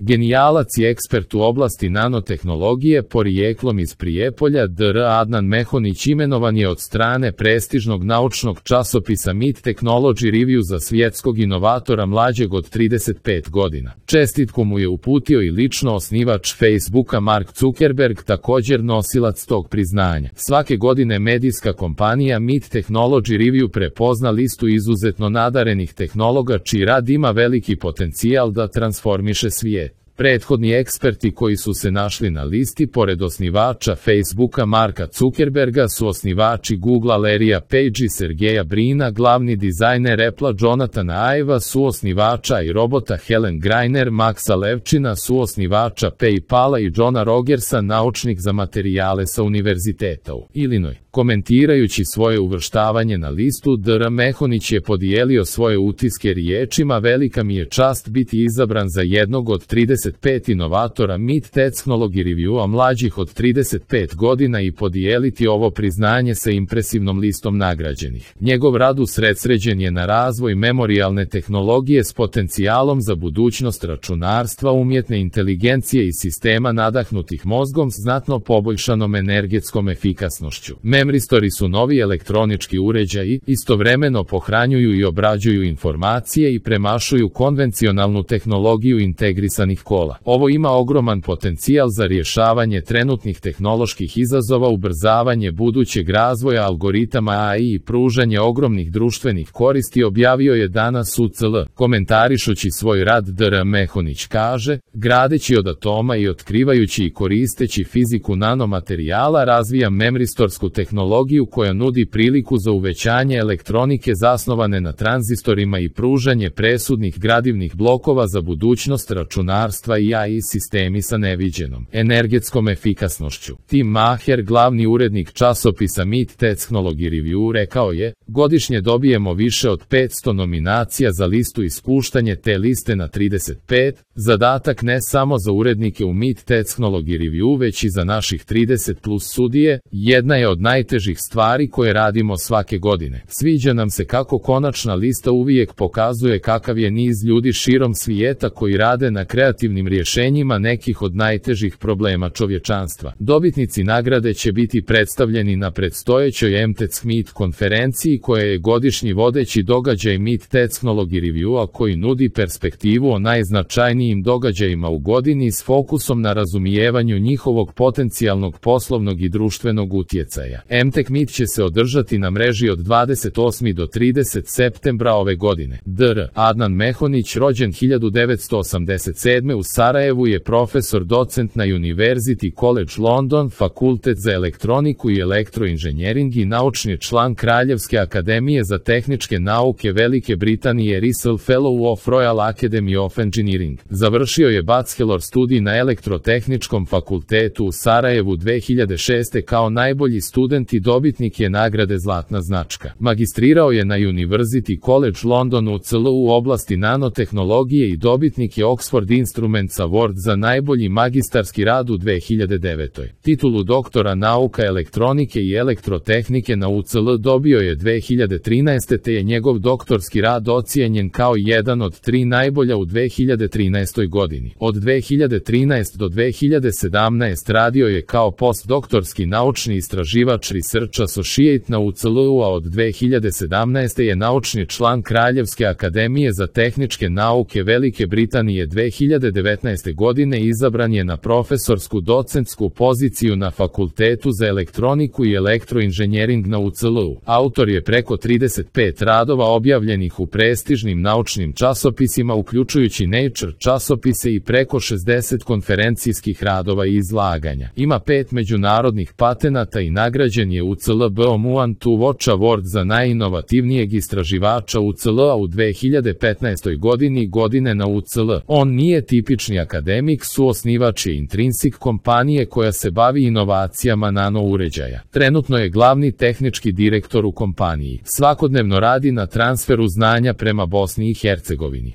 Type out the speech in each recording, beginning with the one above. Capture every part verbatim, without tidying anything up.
Genijalac i ekspert u oblasti nanotehnologije porijeklom iz Prijepolja, dr Adnan Mehonić imenovan je od strane prestižnog naučnog časopisa Mid Technology Review za svjetskog inovatora mlađeg od trideset pet godina. Čestitku mu je uputio i lično osnivač Facebooka Mark Zuckerberg, također nosilac tog priznanja. Svake godine medijska kompanija Mid Technology Review prepozna listu izuzetno nadarenih tehnologa čiji rad ima veliki potencijal da transformiše svijet. Prethodni eksperti koji su se našli na listi, pored osnivača Facebooka Marka Zuckerberga, su osnivači Googlea Larrya Page i Sergeja Brina, glavni dizajner Apple-a Jonathana Iva, suosnivača i robota Helen Greiner, Maxa Levčina, suosnivača PayPala i Johna Rogersa, naučnik za materijale sa univerziteta u Illinois. Komentirajući svoje uvrštavanje na listu, dr Mehonić je podijelio svoje utiske riječima: velika mi je čast biti izabran za jednog od trideset pet inovatora Mid Technology Review-a mlađih od trideset pet godina i podijeliti ovo priznanje sa impresivnom listom nagrađenih. Njegov rad usredsređen je na razvoj memorijalne tehnologije s potencijalom za budućnost računarstva, umjetne inteligencije i sistema nadahnutih mozgom s znatno poboljšanom energetskom efikasnošću. Memristori su novi elektronički uređaji, istovremeno pohranjuju i obrađuju informacije i premašuju konvencionalnu tehnologiju integrisanih kola. Ovo ima ogroman potencijal za rješavanje trenutnih tehnoloških izazova, ubrzavanje budućeg razvoja algoritama A I i pružanje ogromnih društvenih koristi, objavio je danas U C L. Komentarišući svoj rad, dr Mehonić kaže: gradeći od atoma i otkrivajući i koristeći fiziku nanomaterijala, razvija memristorsku tehnologiju koja nudi priliku za uvećanje elektronike zasnovane na tranzistorima i pružanje presudnih gradivnih blokova za budućnost računarstva i A I sistemi sa neviđenom energetskom efikasnošću. Tim Maher, glavni urednik časopisa Mid Technology Review, rekao je: godišnje dobijemo više od petsto nominacija za listu i spuštanje te liste na trideset pet, zadatak ne samo za urednike u Mid Technology Review, već i za naših trideset plus sudije, jedna je od najtežih stvari koje radimo svake godine. Sviđa nam se kako konačna lista uvijek pokazuje kakav je niz ljudi širom svijeta koji rade na kreativnim rješenjima nekih od najtežih problema čovječanstva. Dobitnici nagrade će biti predstavljeni na predstojećoj M T E C Mid konferenciji, koja je godišnji vodeći događaj Mid Technology Review-a koji nudi perspektivu o najznačajnijim događajima u godini s fokusom na razumijevanju njihovog potencijalnog poslovnog i društvenog utjecaja. M T E C Mid će se održati na mreži od dvadeset osmog do tridesetog septembra ove godine. dr Adnan Mehonić, rođen hiljadu devetsto osamdeset sedme u Sarajevu, je profesor docent na University College London, Fakultet za elektroniku i elektroinženjering i naučni član Kraljevske akademije za tehničke nauke Velike Britanije, Russell Fellow of Royal Academy of Engineering. Završio je bachelor studij na Elektrotehničkom fakultetu u Sarajevu dve hiljade šeste kao najbolji student i dobitnik je nagrade Zlatna značka. Magistrirao je na University College London U C L u oblasti nanotehnologije i dobitnik je Oxford Instruments Award za najbolji magistarski rad u dve hiljade devetoj. Titulu doktora nauka elektronike i elektrotehnike na U C L dobio je dve hiljade trinaeste. te je njegov doktorski rad ocijenjen kao jedan od tri najbolja u dve hiljade trinaestoj. godini. Od dve hiljade trinaeste. do dve hiljade sedamnaeste. radio je kao postdoktorski naučni istraživač Research Associate na U C L-u, a od dve hiljade sedamnaeste. je naučni član Kraljevske akademije za tehničke nauke Velike Britanije. dve hiljade devetnaeste. godine izabran je na profesorsku docentsku poziciju na Fakultetu za elektroniku i elektroinženjering na U C L-u. Autor je preko trideset pet radova objavljenih u prestižnim naučnim časopisima, uključujući Nature časopise, i preko šezdeset konferencijskih radova i izlaganja. Ima pet međunarodnih patenata i nagrađen je U C L B O M One to Watch Award za najinovativnijeg istraživača U C L-a u dve hiljade petnaestoj. godini godine na U C L. On nije tipični akademik, suosnivač je Intrinsic kompanije koja se bavi inovacijama nano uređaja. Trenutno je glavni tehnički direktor u kompaniji. Svakodnevno radi na transferu znanja prema Bosni i Hercegovini.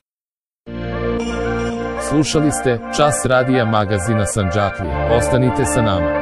Slušali ste Čas radija magazina Sandžaklije. Ostanite sa nama.